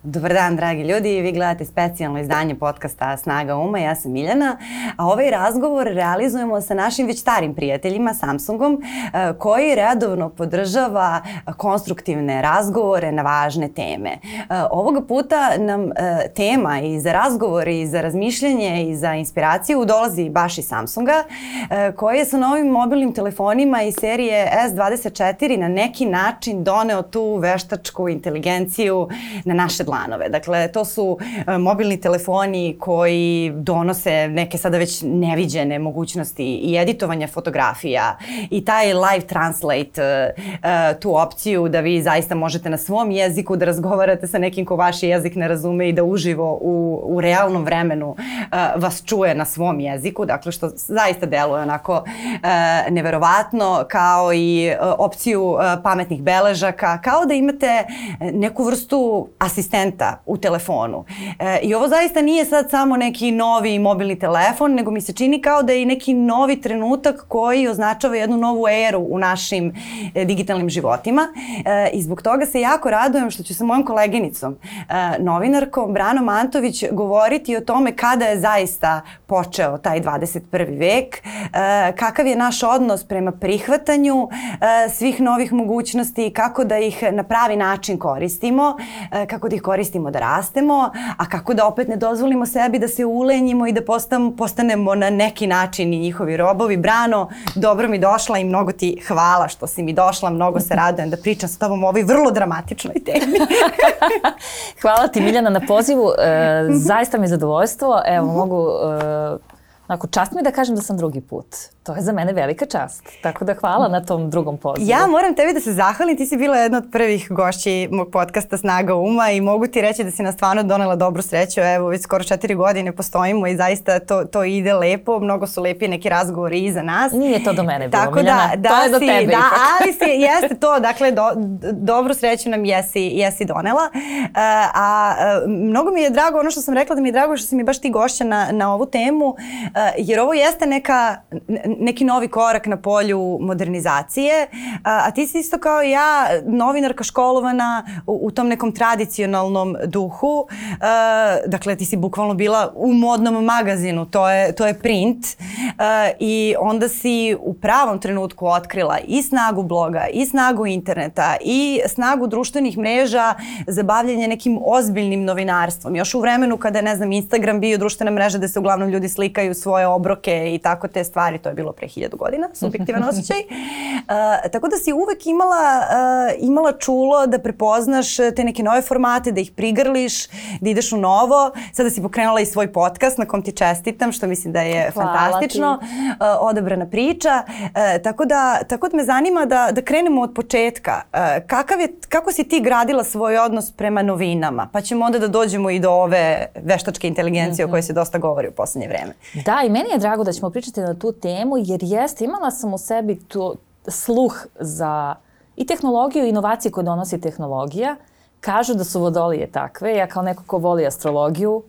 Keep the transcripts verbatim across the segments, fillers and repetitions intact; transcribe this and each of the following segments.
Dobar dan, dragi ljudi. Vi gledate specijalno izdanje podcasta Snaga uma. Ja sam Miljana, a ovaj razgovor realizujemo sa našim već starim prijateljima Samsungom, koji redovno podržava konstruktivne razgovore na važne teme. Ovoga puta nam tema i za razgovor i za razmišljanje i za inspiraciju dolazi baš iz Samsunga, koji je sa novim mobilnim telefonima iz serije S dvadeset četiri na neki način doneo tu veštačku inteligenciju na naše dlanove. Dakle, to su uh, mobilni telefoni koji donose neke sada već neviđene mogućnosti i editovanja fotografija i taj live translate, uh, uh, tu opciju da vi zaista možete na svom jeziku da razgovarate sa nekim ko vaš jezik ne razume i da uživo u, u realnom vremenu uh, vas čuje na svom jeziku, dakle što zaista deluje onako uh, neverovatno, kao i uh, opciju uh, pametnih beležaka, kao da imate neku vrstu asistenta u telefonu. E, I ovo zaista nije sad samo neki novi mobilni telefon, nego mi se čini kao da je i neki novi trenutak koji označava jednu novu eru u našim e, digitalnim životima. E, I zbog toga se jako radujem što ću sa mojom koleginicom, e, novinarkom Branom Antović, govoriti o tome kada je zaista počeo taj dvadeset prvi vek, e, kakav je naš odnos prema prihvatanju e, svih novih mogućnosti, kako da ih na pravi način koristimo, e, kako da ih koristimo da rastemo, a kako da opet ne dozvolimo sebi da se ulenjimo i da postam, postanemo na neki način i njihovi robovi. Brano, dobro mi došla i mnogo ti hvala što si mi došla, mnogo se radujem da pričam s tobom o ovoj vrlo dramatičnoj temi. Hvala ti, Miljana, na pozivu. E, zaista mi je zadovoljstvo. Evo, mogu... E, Onako, čast mi je da kažem da sam drugi put. To je za mene velika čast. Tako da hvala na tom drugom pozivu. Ja moram tebi da se zahvalim. Ti si bila jedna od prvih gošći mog podcasta Snaga uma i mogu ti reći da si nas stvarno donela dobru sreću. Evo, već skoro četiri godine postojimo i zaista to, to ide lepo. Mnogo su lepi neki razgovori iza nas. Nije to do mene bilo, tako Miljana. Da, da to je do si, tebe da, ipak. Ali si, jeste to. Dakle, do, dobru sreću nam jesi, jesi donela. Uh, a uh, mnogo mi je drago, ono što sam rekla da mi je drago što si mi baš ti gošća na, na ovu temu, uh, jer ovo jeste neka, neki novi korak na polju modernizacije, a, a ti si isto kao i ja novinarka školovana u, u tom nekom tradicionalnom duhu. A, dakle, ti si bukvalno bila u modnom magazinu, to je, to je print, a, i onda si u pravom trenutku otkrila i snagu bloga, i snagu interneta, i snagu društvenih mreža za bavljanje nekim ozbiljnim novinarstvom. Još u vremenu kada je, ne znam, Instagram bio društvena mreža da se uglavnom ljudi slikaju svoje obroke i tako te stvari, to je bilo pre hiljadu godina, subjektivan osjećaj. Uh, tako da si uvek imala, uh, imala čulo da prepoznaš te neke nove formate, da ih prigrliš, da ideš u novo. Sada si pokrenula i svoj podcast na kom ti čestitam, što mislim da je Hvala fantastično. Uh, odabrana priča. Uh, tako, da, tako da me zanima da, da krenemo od početka. Uh, kakav je, kako si ti gradila svoj odnos prema novinama? Pa ćemo onda da dođemo i do ove veštačke inteligencije, mm-hmm, o kojoj se dosta govori u poslednje vreme. Da, i meni je drago da ćemo pričati na tu temu, jer jeste, imala sam u sebi tu sluh za i tehnologiju i inovacije koje donosi tehnologija. Kažu da su vodolije takve. Ja kao neko ko voli astrologiju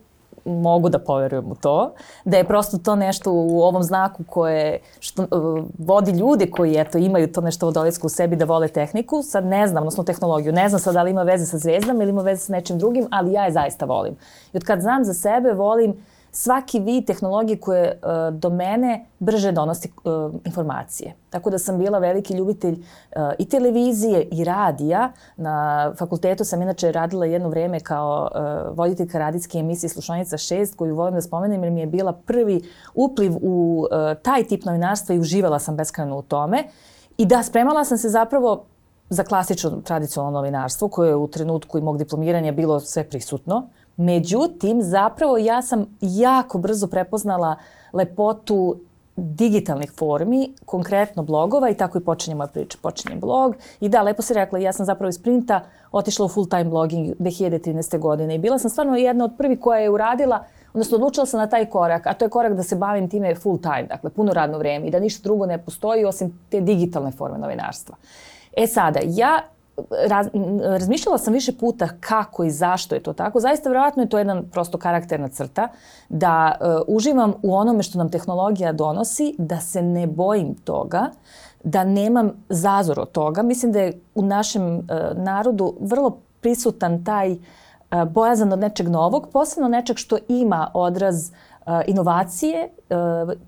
mogu da poverujem u to. Da je prosto to nešto u ovom znaku koje što, uh, vodi ljude koji eto, imaju to nešto vodolijsko u sebi da vole tehniku. Sad ne znam, odnosno tehnologiju. Ne znam sad da li ima veze sa zvijezdama ili ima veze sa nečim drugim, ali ja je zaista volim. I od kad znam za sebe, volim svaki vid tehnologije koje uh, do mene brže donosi uh, informacije. Tako da sam bila veliki ljubitelj uh, i televizije i radija. Na fakultetu sam inače radila jedno vreme kao uh, voditeljka radijske emisije Slušaonica šest, koju volim da spomenem jer mi je bila prvi upliv u uh, taj tip novinarstva i uživala sam beskrajno u tome. I da, spremala sam se zapravo za klasično tradicionalno novinarstvo koje je u trenutku i mog diplomiranja bilo sve prisutno. Međutim, zapravo ja sam jako brzo prepoznala lepotu digitalnih formi, konkretno blogova i tako i počinje moja priča. Počinje blog i da, lepo si rekla, ja sam zapravo iz printa otišla u full time blogging dve hiljade trinaeste. godine i bila sam stvarno jedna od prvih koja je uradila, odnosno odlučila sam na taj korak, a to je korak da se bavim time full time, dakle puno radno vrijeme i da ništa drugo ne postoji osim te digitalne forme novinarstva. E sada, ja Raz, razmišljala sam više puta kako i zašto je to tako. Zaista vjerojatno je to jedan prosto karakterna crta da uh, uživam u onome što nam tehnologija donosi, da se ne bojim toga, da nemam zazor od toga. Mislim da je u našem uh, narodu vrlo prisutan taj bojazan od nečeg novog, posebno nečeg što ima odraz inovacije,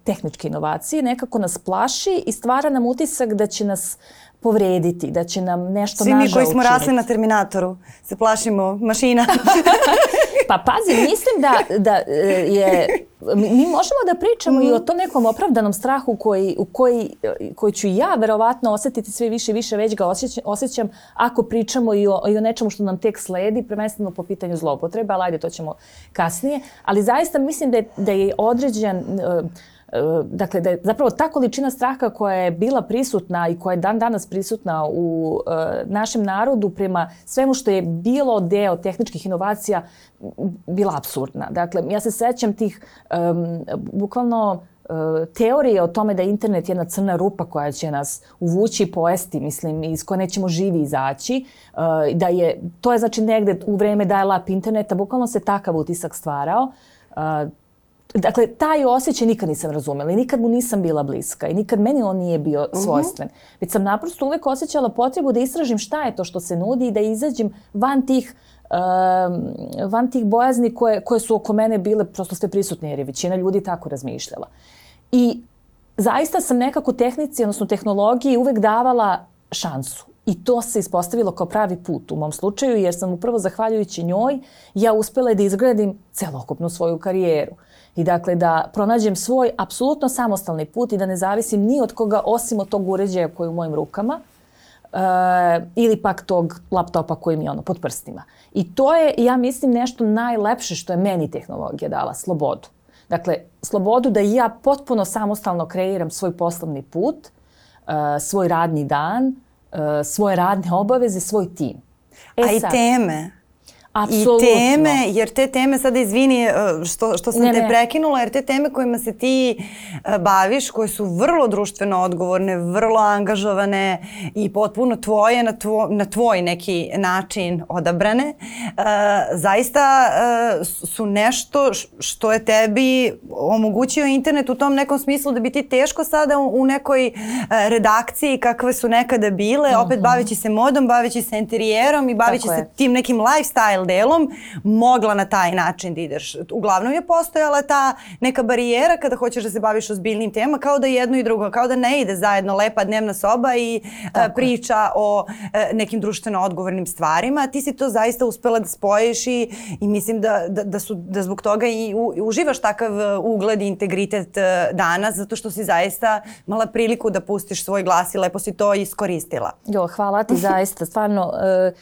tehničke inovacije, nekako nas plaši i stvara nam utisak da će nas povrediti, da će nam nešto nažao učiniti. Svi mi koji smo rasli na Terminatoru se plašimo mašina. Pa pazi, mislim da, da je, mi možemo da pričamo mm. i o tom nekom opravdanom strahu koji, u koji, koji ću ja verovatno osjetiti sve više i više, već ga osjećam, osjećam ako pričamo i o, i o nečemu što nam tek sledi, prvenstveno po pitanju zloupotrebe, ali ajde, to ćemo kasnije. Ali zaista mislim da je, da je određen... Dakle, da je zapravo ta količina straha koja je bila prisutna i koja je dan danas prisutna u e, našem narodu prema svemu što je bilo deo tehničkih inovacija bila apsurdna. Dakle, ja se sećam tih um, bukvalno e, teorije o tome da je internet jedna crna rupa koja će nas uvući i pojesti, mislim, iz koje nećemo živi izaći. E, da je, to je znači negde u vreme dial-up interneta, bukvalno se takav utisak stvarao. E, Dakle, taj osjećaj nikad nisam razumela i nikad mu nisam bila bliska i nikad meni on nije bio svojstven. Uh-huh. Već sam naprosto uvek osjećala potrebu da istražim šta je to što se nudi i da izađem van tih, uh, van tih bojazni koje, koje su oko mene bile prosto sve prisutne jer je većina ljudi tako razmišljala. I zaista sam nekako tehnici, odnosno tehnologiji uvek davala šansu. I to se ispostavilo kao pravi put u mom slučaju jer sam upravo zahvaljujući njoj ja uspela da izgradim celokupnu svoju karijeru. I dakle da pronađem svoj apsolutno samostalni put i da ne zavisim ni od koga osim od tog uređaja koji je u mojim rukama e, ili pak tog laptopa koji mi je ono pod prstima. I to je, ja mislim, nešto najlepše što je meni tehnologija dala, slobodu. Dakle, slobodu da ja potpuno samostalno kreiram svoj poslovni put, e, svoj radni dan, e, svoje radne obaveze, svoj tim. E, A sad, i teme? Apsolutno. I teme, jer te teme, sada izvini što, što sam ne, te ne. prekinula, jer te teme kojima se ti baviš, koje su vrlo društveno odgovorne, vrlo angažovane i potpuno tvoje, na, tvo, na tvoj neki način odabrane, uh, zaista uh, su nešto što je tebi omogućio internet u tom nekom smislu da bi ti teško sada u, u nekoj uh, redakciji kakve su nekada bile, uh-huh. opet baveći se modom, baveći se interijerom i baveći se tim nekim lifestyle delom, mogla na taj način da ideš. Uglavnom je postojala ta neka barijera kada hoćeš da se baviš ozbiljnim temama, kao da jedno i drugo, kao da ne ide zajedno lepa dnevna soba i a, priča o a, nekim društveno odgovornim stvarima. Ti si to zaista uspela da spojiš i, i mislim da, da, da, su, da zbog toga i u, uživaš takav ugled i integritet danas, zato što si zaista imala priliku da pustiš svoj glas i lepo si to iskoristila. Jo, hvala ti zaista, stvarno. Uh,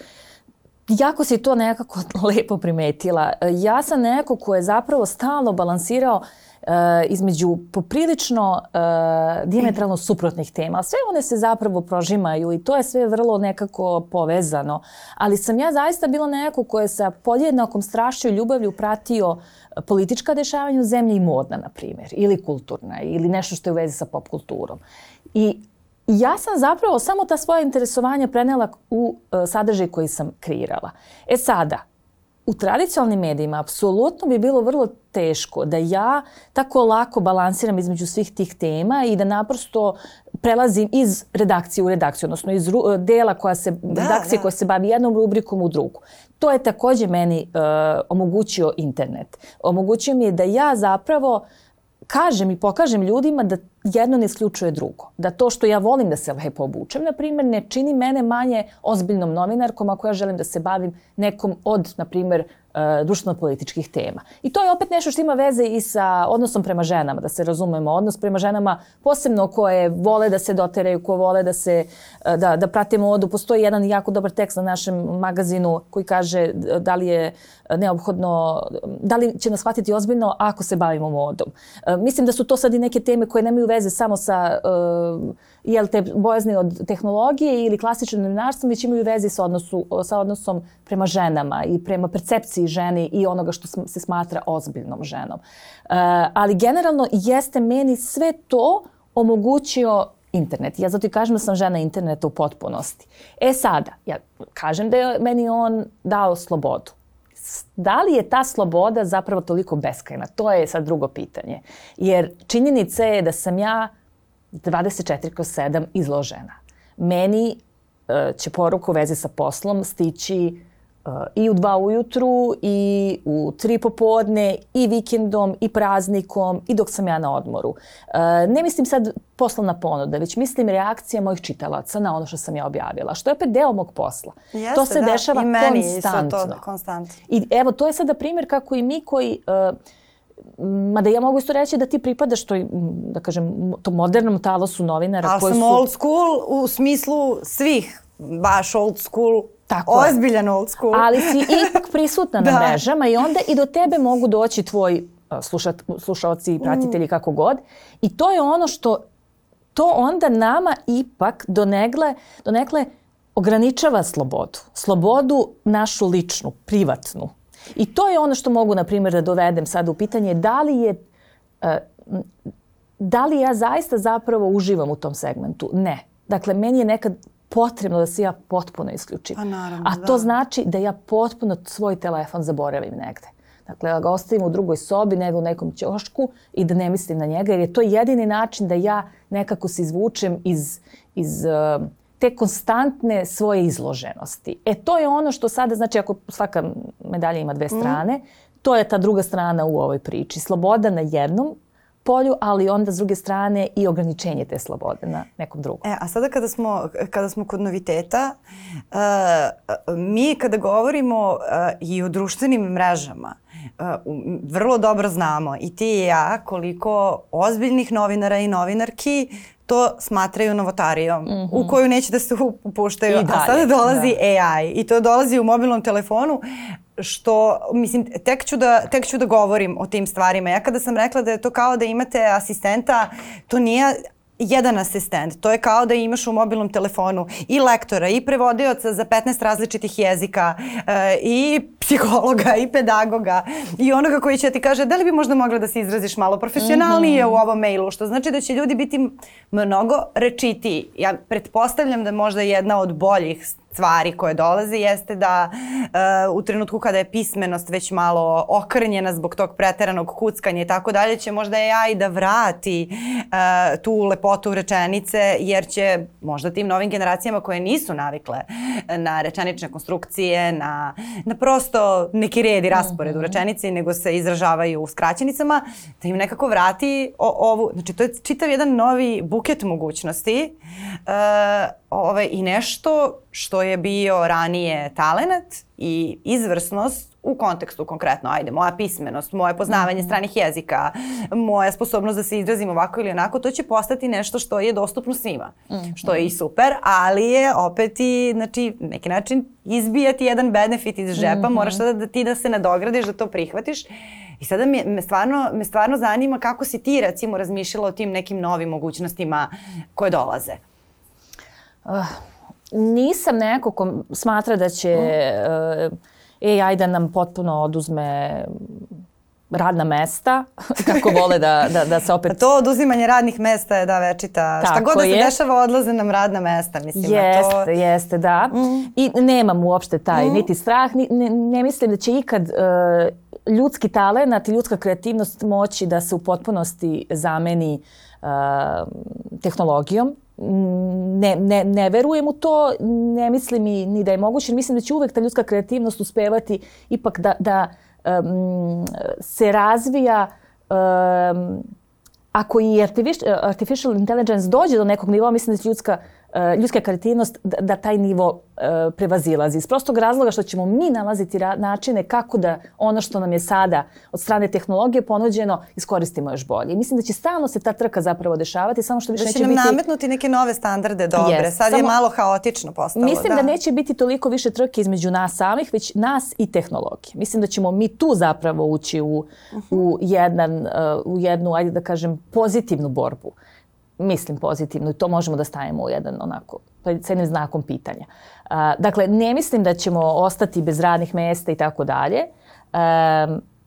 Jako si to nekako lepo primetila. Ja sam neko ko je zapravo stalno balansirao uh, između poprilično uh, dijametralno suprotnih tema. Sve one se zapravo prožimaju i to je sve vrlo nekako povezano. Ali sam ja zaista bila neko ko je sa podjednakom strašću i ljubavlju pratio politička dešavanja u zemlji i modna, na primjer, ili kulturna, ili nešto što je u vezi sa pop kulturom. I ja sam zapravo samo ta svoja interesovanja prenela u uh, sadržaj koji sam kreirala. E sada, u tradicionalnim medijima apsolutno bi bilo vrlo teško da ja tako lako balansiram između svih tih tema i da naprosto prelazim iz redakcije u redakciju, odnosno iz ru- dela koja se, da, redakcije da. koja se bavi jednom rubrikom u drugu. To je također meni uh, omogućio internet. Omogućio mi je da ja zapravo kažem i pokažem ljudima da jedno ne isključuje drugo. Da to što ja volim da se lepo obučem, na primjer, ne čini mene manje ozbiljnom novinarkom ako ja želim da se bavim nekom od, na primjer, društveno-političkih tema. I to je opet nešto što ima veze i sa odnosom prema ženama, da se razumemo. Odnos prema ženama posebno koje vole da se doteraju, ko vole da se da, da prate modu. Postoji jedan jako dobar tekst na našem magazinu koji kaže da li je neophodno, da li će nas shvatiti ozbiljno ako se bavimo modom. Mislim da su to sad i neke teme koje nemaju veze samo sa uh, jel te bojazni od tehnologije ili klasičnim novinarstvom, već imaju veze sa, odnosu, sa odnosom prema ženama i prema percepciji ženi i onoga što se smatra ozbiljnom ženom. Uh, ali generalno jeste meni sve to omogućio internet. Ja zato i kažem da sam žena interneta u potpunosti. E sada, ja kažem da je meni on dao slobodu. Da li je ta sloboda zapravo toliko beskrajna? To je sad drugo pitanje. Jer činjenica je da sam ja dvadeset četiri kroz sedam izložena. Meni uh, će poruka u vezi sa poslom stići i u dva ujutru, i u tri popodne, i vikendom, i praznikom, i dok sam ja na odmoru. Ne mislim sad poslovna ponuda, već mislim reakcija mojih čitalaca na ono što sam ja objavila, što je opet deo mog posla. Jeste, to se da, dešava i meni konstantno. To, konstantno. I evo, to je sada primjer kako i mi koji... Mada ja mogu isto reći da ti pripadaš toj, da kažem, tom modernom talosu novinara. Ali koji sam su... old school u smislu svih, baš old school, Tako ozbiljan old school. Ali si ipak prisutna na mrežama i onda i do tebe mogu doći tvoji slušat, slušalci i pratitelji kako god. I to je ono što to onda nama ipak donekle, donekle ograničava slobodu. Slobodu našu ličnu, privatnu. I to je ono što mogu, na primjer, da dovedem sada u pitanje da li je, da li ja zaista zapravo uživam u tom segmentu? Ne. Dakle, meni je nekad potrebno da se ja potpuno isključim. A, naravno, A to da. znači da ja potpuno svoj telefon zaboravim negde. Dakle, da ga ostavim u drugoj sobi, nego u nekom ćošku i da ne mislim na njega, jer je to jedini način da ja nekako se izvučem iz, iz uh, te konstantne svoje izloženosti. E, to je ono što sada, znači, ako svaka medalja ima dve strane, mm. to je ta druga strana u ovoj priči. Sloboda na jednom polju, ali onda s druge strane i ograničenje te slobode na nekom drugom. E, a sada kada smo, kada smo kod noviteta, uh, mi kada govorimo uh, i o društvenim mrežama, uh, vrlo dobro znamo i ti i ja koliko ozbiljnih novinara i novinarki to smatraju novotarijom, mm-hmm. u koju neće da se upuštaju. I dalje, a sada dolazi da. A I i to dolazi u mobilnom telefonu, što, mislim, tek ću, da, tek ću da govorim o tim stvarima. Ja kada sam rekla da je to kao da imate asistenta, to nije jedan asistent. To je kao da imaš u mobilnom telefonu i lektora, i prevodioca za petnaest različitih jezika, e, i psihologa, i pedagoga, i onoga koji će ti kaže da li bi možda mogla da se izraziš malo profesionalnije mm-hmm. u ovom mailu, što znači da će ljudi biti mnogo rečitiji. Ja pretpostavljam da možda jedna od boljih stvari koje dolaze jeste da uh, u trenutku kada je pismenost već malo okrnjena zbog tog preteranog kuckanja i tako dalje, će možda A I da vrati uh, tu lepotu rečenice, jer će možda tim novim generacijama koje nisu navikle na rečenične konstrukcije, na, na prosto neki red i raspored u rečenici, nego se izražavaju u skraćenicama, da im nekako vrati o, ovu, znači to je čitav jedan novi buket mogućnosti uh, ove, i nešto što je bio ranije talenat i izvrsnost u kontekstu konkretno, ajde, moja pismenost, moje poznavanje mm-hmm. stranih jezika, moja sposobnost da se izrazim ovako ili onako, to će postati nešto što je dostupno svima, mm-hmm. što je i super, ali je opet i, znači, neki način izbijati jedan benefit iz žepa, mm-hmm. moraš sada da ti da se nadogradiš, da to prihvatiš. I sada me, me, stvarno, me stvarno zanima kako si ti, recimo, razmišljala o tim nekim novim mogućnostima koje dolaze. Uh. Nisam neko ko smatra da će uh, A I da nam potpuno oduzme radna mesta, kako vole da, da, da se opet... To oduzimanje radnih mesta je da večita. Tako šta god da se je. Dešava, odlaze nam radna mesta. Mislim, jeste, to... jeste, da. Mm. I nemam uopšte taj mm. niti strah, ni, ne, ne mislim da će ikad uh, ljudski talenat i ljudska kreativnost moći da se u potpunosti zameni uh, tehnologijom. Ne, ne, ne verujem u to, ne mislim i, ni da je moguće. Mislim da će uvek ta ljudska kreativnost uspevati ipak da, da um, se razvija um, ako i artificial, artificial intelligence dođe do nekog nivoa, mislim da će ljudska, uh, ljudska kreativnost da, da taj nivo uh, prevazilazi. Iz prostog razloga što ćemo mi nalaziti ra- načine kako da ono što nam je sada od strane tehnologije ponuđeno iskoristimo još bolje. I mislim da će stalno se ta trka zapravo dešavati, samo što više neće biti... Da će nam nametnuti neke nove standarde dobre. Yes, sad samo... je malo haotično postalo. Mislim da. da neće biti toliko više trke između nas samih, već nas i tehnologije. Mislim da ćemo mi tu zapravo ući u, uh-huh. u, jedan, uh, u jednu, ajde da kažem, pozitivnu borbu. Mislim pozitivno i to možemo da stavimo u jedan onako, s jednim znakom pitanja. Uh, dakle, ne mislim da ćemo ostati bez radnih mesta i tako dalje.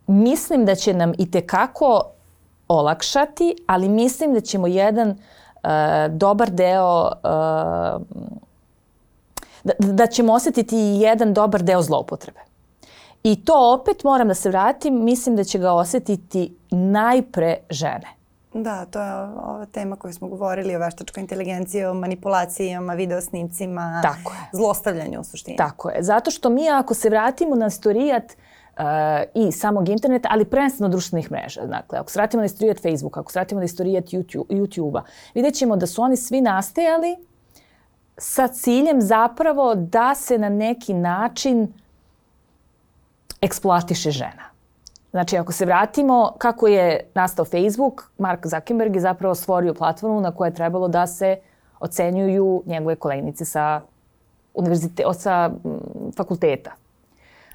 Mislim da će nam itekako olakšati, ali mislim da ćemo jedan uh, dobar deo, uh, da, da ćemo osjetiti jedan dobar deo zloupotrebe. I to opet moram da se vratim, mislim da će ga osjetiti najpre žene. Da, to je ova tema koju smo govorili o veštačkoj inteligenciji, o manipulacijama, videosnimcima, Tako je. Zlostavljanju u suštini. Tako je. Zato što mi ako se vratimo na istorijat uh, i samog interneta, ali prvenstveno društvenih mreža. Dakle, ako se vratimo na istorijat Facebooka, ako se vratimo na istorijat YouTube, YouTube-a, vidjet ćemo da su oni svi nastajali sa ciljem zapravo da se na neki način eksploatiše žena. Znači, ako se vratimo kako je nastao Facebook, Mark Zuckerberg je zapravo stvorio platformu na kojoj je trebalo da se ocenjuju njegove koleginice sa, univerzite, sa fakulteta.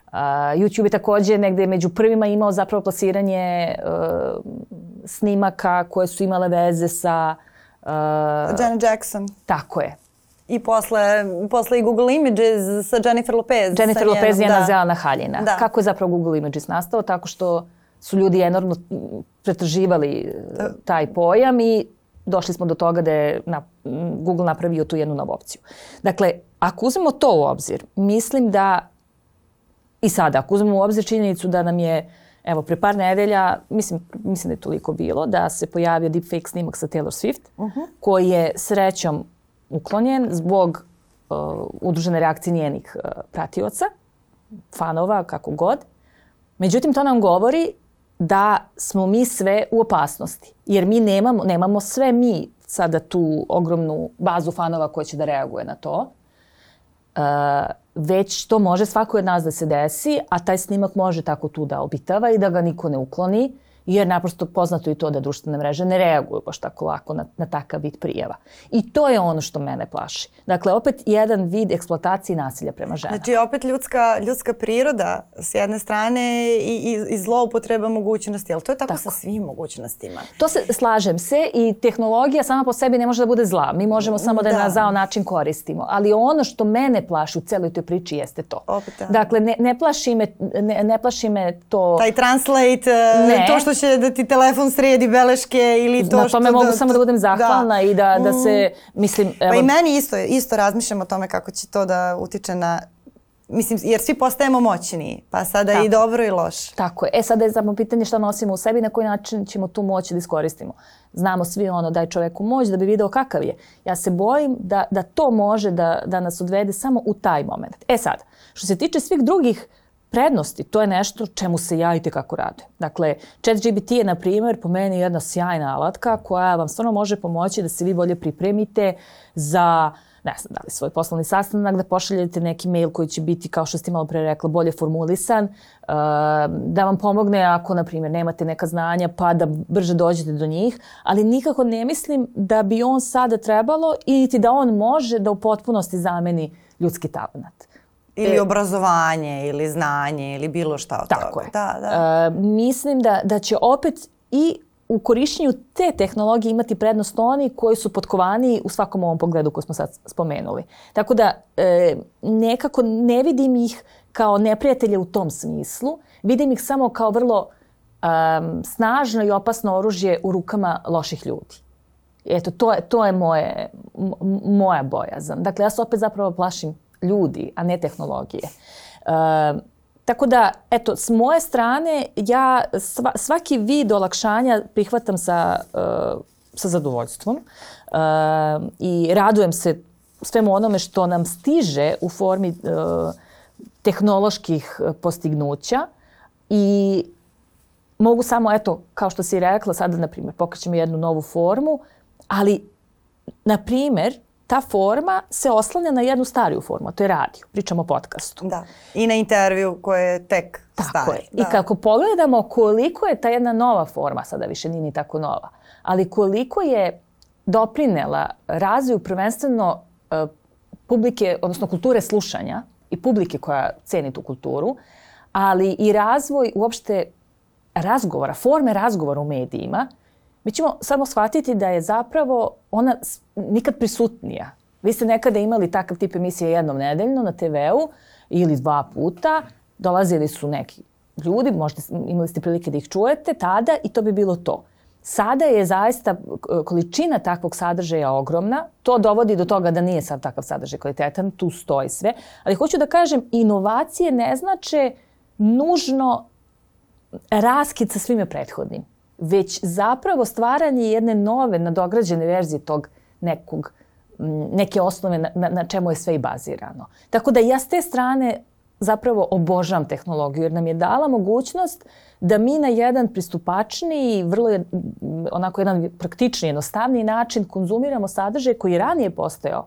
Uh, YouTube je također negde među prvima imao zapravo plasiranje uh, snimaka koje su imale veze sa... Uh, Janet Jackson. Tako je. I posle, posle i Google Images sa Jennifer Lopez. Jennifer sa Lopez, njena da. zelena haljina. Da. Kako je zapravo Google Images nastao? Tako što su ljudi enormno pretraživali da. taj pojam i došli smo do toga da je na, Google napravio tu jednu novu opciju. Dakle, ako uzmemo to u obzir, mislim da i sada, ako uzmemo u obzir činjenicu da nam je, evo, pre par nedelja, mislim, mislim da je toliko bilo, da se pojavio deepfake snimak sa Taylor Swift, uh-huh. koji je srećom uklonjen zbog uh, udružene reakcije njenih uh, pratioca, fanova, kako god. Međutim, to nam govori da smo mi sve u opasnosti. Jer mi nemamo, nemamo sve mi sada tu ogromnu bazu fanova koja će da reaguje na to. Uh, već to može svako od nas da se desi, a taj snimak može tako tu da obitava i da ga niko ne ukloni, jer naprosto poznato i to da društvene mreže ne reaguju baš tako lako na, na takav vid prijava. I to je ono što mene plaši. Dakle, opet jedan vid eksploatacije nasilja prema ženama. Znači, opet ljudska, ljudska priroda s jedne strane i, i, i zloupotreba mogućnosti, ali to je tako, tako sa svim mogućnostima. To se, slažem se, i tehnologija sama po sebi ne može da bude zla. Mi možemo samo da, da. na zao način koristimo. Ali ono što mene plaši u celoj toj priči jeste to. Opet, da. Dakle, ne, ne, plaši me, ne, ne plaši me to... Taj translate, ne. to što će da ti telefon sredi beleške ili to na što... Na tome mogu da, samo da budem zahvalna da. i da, da se, mislim... Evo... Pa i meni isto, isto razmišljam o tome kako će to da utiče na... Mislim, jer svi postajemo moćni, pa sada tako. I dobro i loše. Tako je. E, sada je samo pitanje šta nosimo u sebi i na koji način ćemo tu moć da iskoristimo. Znamo svi ono, daj čoveku moć da bi video kakav je. Ja se bojim da, da to može da, da nas odvede samo u taj moment. E sad, što se tiče svih drugih prednosti, to je nešto čemu se ja i tekako radujem. Dakle, ChatGPT je, na primjer, po meni jedna sjajna alatka koja vam stvarno može pomoći da se vi bolje pripremite za, ne znam, da li svoj poslovni sastanak, da pošaljete neki mail koji će biti, kao što ste malo pre rekla, bolje formulisan, da vam pomogne ako, na primjer, nemate neka znanja pa da brže dođete do njih, ali nikako ne mislim da bi on sada trebalo i niti da on može da u potpunosti zameni ljudski talent. Ili obrazovanje, ili znanje, ili bilo šta od Tako toga. Je. Da, da. E, mislim da, da će opet i u korišćenju te tehnologije imati prednost oni koji su potkovaniji u svakom ovom pogledu koji smo sad spomenuli. Tako da e, nekako ne vidim ih kao neprijatelje u tom smislu. Vidim ih samo kao vrlo um, snažno i opasno oružje u rukama loših ljudi. Eto, to je, to je moje, m- moja bojazan. Dakle, ja se opet zapravo plašim ljudi, a ne tehnologije. E, tako da, eto, s moje strane, ja sva, svaki vid olakšanja prihvatam sa, uh, sa zadovoljstvom uh, i radujem se svemu onome što nam stiže u formi uh, tehnoloških postignuća i mogu samo, eto, kao što si rekla, sada, na primjer, pokrećemo jednu novu formu, ali, na primjer, ta forma se oslanja na jednu stariju formu, a to je radio. Pričamo o podcastu. Da. I na intervju koje je tek tako stari. Je. I kako pogledamo koliko je ta jedna nova forma, sada više nije ni tako nova, ali koliko je doprinela razvoju prvenstveno uh, publike, odnosno kulture slušanja i publike koja ceni tu kulturu, ali i razvoj uopšte razgovora, forme razgovora u medijima, mi ćemo samo shvatiti da je zapravo ona nikad prisutnija. Vi ste nekada imali takav tip emisije jednom nedeljno na te veu ili dva puta. Dolazili su neki ljudi, možda imali ste prilike da ih čujete tada i to bi bilo to. Sada je zaista količina takvog sadržaja ogromna. To dovodi do toga da nije sad takav sadržaj kvalitetan, tu stoji sve. Ali hoću da kažem, inovacije ne znače nužno raskid sa svime prethodnim. već zapravo stvaranje jedne nove, nadograđene verzije tog nekog, neke osnove na, na, na čemu je sve i bazirano. Tako da ja s te strane zapravo obožavam tehnologiju jer nam je dala mogućnost da mi na jedan pristupačniji, vrlo je, onako jedan praktični, jednostavniji način konzumiramo sadržaj koji je ranije postojao,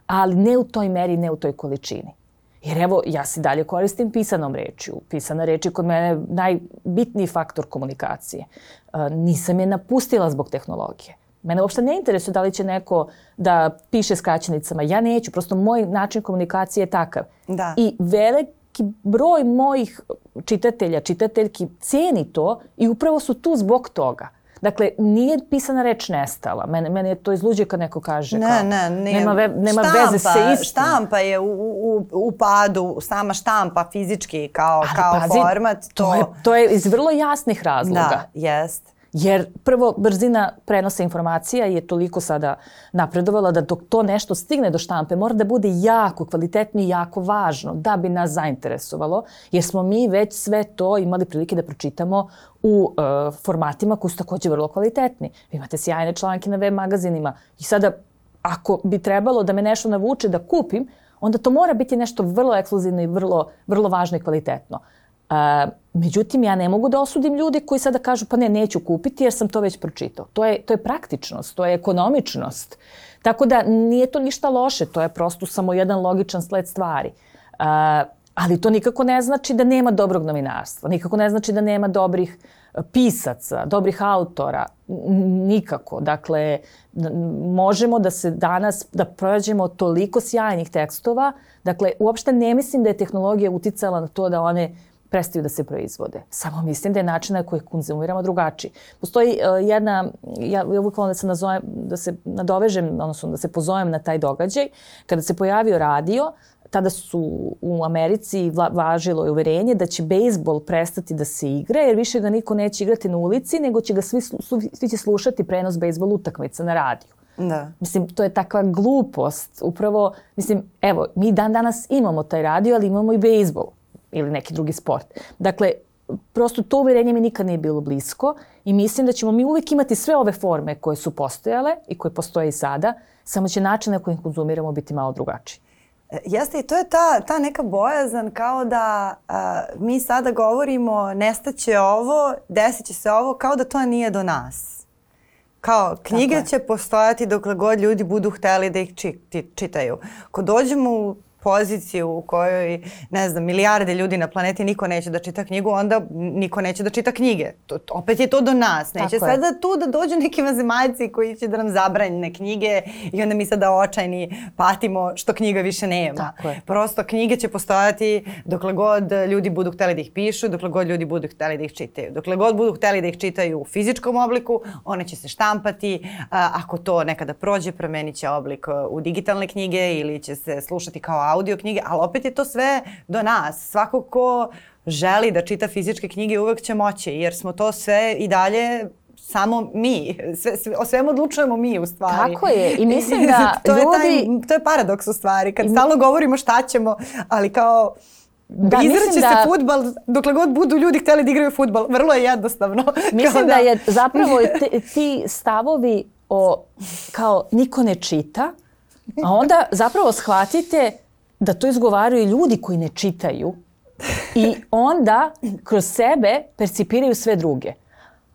ali ne u toj meri, ne u toj količini. Jer evo, ja se dalje koristim pisanom rečju. Pisana reč je kod mene najbitniji faktor komunikacije. E, nisam je napustila zbog tehnologije. Mene uopšte ne interesuje da li će neko da piše skraćenicama. Ja neću, prosto moj način komunikacije je takav. Da. I veliki broj mojih čitatelja, čitateljki ceni to i upravo su tu zbog toga. Dakle, nije pisana reč nestala. Mene, mene je to izluđe kad neko kaže ne, kao, ne, nije. nema, ve, nema štampa, veze sa istim. Štampa je u, u, u padu, sama štampa fizički kao, Ali, kao pazi, format. To... To, je, to je iz vrlo jasnih razloga. Da, jest. Jer prvo, brzina prenosa informacija je toliko sada napredovala da dok to nešto stigne do štampe mora da bude jako kvalitetno i jako važno da bi nas zainteresovalo, jer smo mi već sve to imali prilike da pročitamo u uh, formatima koji su također vrlo kvalitetni. Vi imate sjajne članke na web magazinima i sada ako bi trebalo da me nešto navuče da kupim, onda to mora biti nešto vrlo ekskluzivno i vrlo, vrlo važno i kvalitetno. Uh, međutim, ja ne mogu da osudim ljudi koji sada kažu pa ne, neću kupiti jer sam to već pročitao. To je, to je praktičnost, to je ekonomičnost. Tako da nije to ništa loše, to je prosto samo jedan logičan sled stvari. Uh, ali to nikako ne znači da nema dobrog novinarstva, nikako ne znači da nema dobrih pisaca, dobrih autora, nikako. Dakle, možemo da se danas, da prođemo toliko sjajnih tekstova, dakle, uopšte ne mislim da je tehnologija uticala na to da one prestaju da se proizvode. Samo mislim da je način na koji konzumiramo drugačiji. Postoji uh, jedna, ja, ja uvijek volim da se, nazovem, da se nadovežem, odnosno da se pozovem na taj događaj. Kada se pojavio radio, tada su u Americi vla, važilo je uverenje da će bejsbol prestati da se igra, jer više ga niko neće igrati na ulici, nego će ga svi, svi će slušati prenos bejsbol utakmica na radiju. Da. Mislim, to je takva glupost. Upravo, mislim, evo, mi dan danas imamo taj radio, ali imamo i bejsbol ili neki drugi sport. Dakle, prosto to uverenje mi nikad nije bilo blisko i mislim da ćemo mi uvijek imati sve ove forme koje su postojale i koje postoje i sada, samo će način na koji konzumiramo biti malo drugačiji. Jeste, i to je ta, ta neka bojazan kao da a, mi sada govorimo nestaće ovo, desit će se ovo, kao da to nije do nas. Kao knjige će postojati dokle god ljudi budu hteli da ih či, čitaju. Ko dođemo u poziciju u kojoj, ne znam, milijarde ljudi na planeti niko neće da čita knjigu, onda niko neće da čita knjige. To, opet je to do nas. Neće Tako sada je. tu da dođu neki vanzemaljci koji će da nam zabranjene knjige i onda mi sada očajni patimo što knjiga više nema. Tako je. Prosto knjige će postojati dokle god ljudi budu hteli da ih pišu, dokle god ljudi budu hteli da ih čitaju. Dokle god budu hteli da ih čitaju u fizičkom obliku, one će se štampati. A, ako to nekada prođe, promenit će oblik u digitalne knjige ili će se slušati kao audio knjige, ali opet je to sve do nas. Svako ko želi da čita fizičke knjige uvek će moći, jer smo to sve i dalje samo mi. Sve, sve, o svemu odlučujemo mi u stvari. Tako je. I mislim da to ljudi... Je taj, to je paradoks u stvari. Kad stalno govorimo šta ćemo, ali kao... Da, izraće da... se fudbal dokle god budu ljudi hteli da igraju fudbal. Vrlo je jednostavno. Mislim da... da je zapravo te, ti stavovi o kao niko ne čita, a onda zapravo shvatite da to izgovaraju ljudi koji ne čitaju i onda kroz sebe percipiraju sve druge.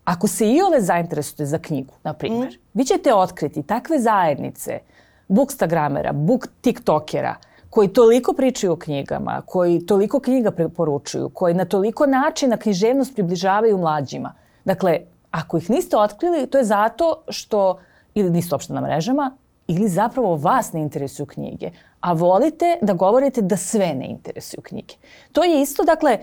Ako se i ove zainteresujete za knjigu, na primjer, mm. vi ćete otkriti takve zajednice bookstagramera, book tiktokera, koji toliko pričaju o knjigama, koji toliko knjiga preporučuju, koji na toliko načina književnost približavaju mlađima. Dakle, ako ih niste otkrili, to je zato što ili niste uopšte na mrežama, ili zapravo vas ne interesuju knjige, a volite da govorite da sve ne interesuju knjige. To je isto, dakle,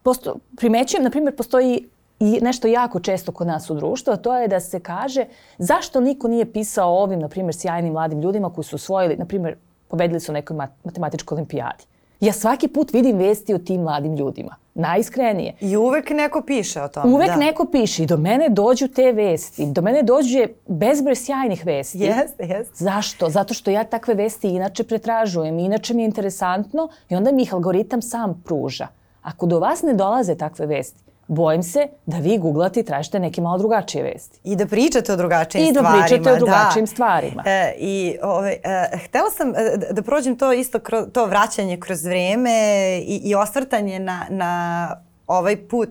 posto, primećujem, na primjer, postoji i nešto jako često kod nas u društvu, a to je da se kaže zašto niko nije pisao o ovim, na primjer, sjajnim mladim ljudima koji su osvojili, na primjer, pobedili su u nekoj matematičkoj olimpijadi. Ja svaki put vidim vesti o tim mladim ljudima. Najiskrenije. I uvek neko piše o tome. Uvek da. neko piše i do mene dođu te vesti. Do mene dođe bezbroj sjajnih vesti. Jeste, jeste. Zašto? Zato što ja takve vesti inače pretražujem. Inače mi je interesantno i onda mi ih algoritam sam pruža. Ako do vas ne dolaze takve vesti, bojim se da vi googlate i tražite neke malo drugačije vesti. I da pričate o drugačijim I da stvarima. pričate o drugačijim da. stvarima. E, I ove, e, htela sam e, da prođem to isto, kroz, to vraćanje kroz vrijeme i, i osvrtanje na, na ovaj put,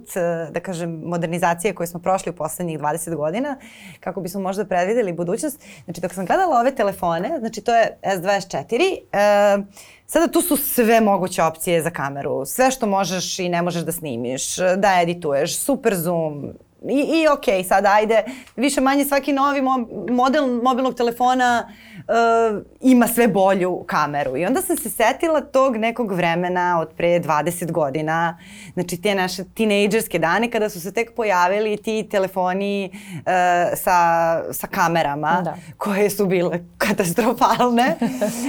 da kažem, modernizacije koje smo prošli u poslednjih dvadeset godina, kako bismo možda predvideli budućnost. Znači, dok sam gledala ove telefone, znači to je S dvadeset četiri, e, sada tu su sve moguće opcije za kameru. Sve što možeš i ne možeš da snimiš, da edituješ, super zoom. I, i okej, okay, sada ajde, više manje svaki novi mo- model mobilnog telefona uh, ima sve bolju kameru. I onda sam se setila tog nekog vremena od pre dvadeset godina, znači te naše tinejdžerske dane kada su se tek pojavili ti telefoni uh, sa, sa kamerama, da, koje su bile katastrofalne.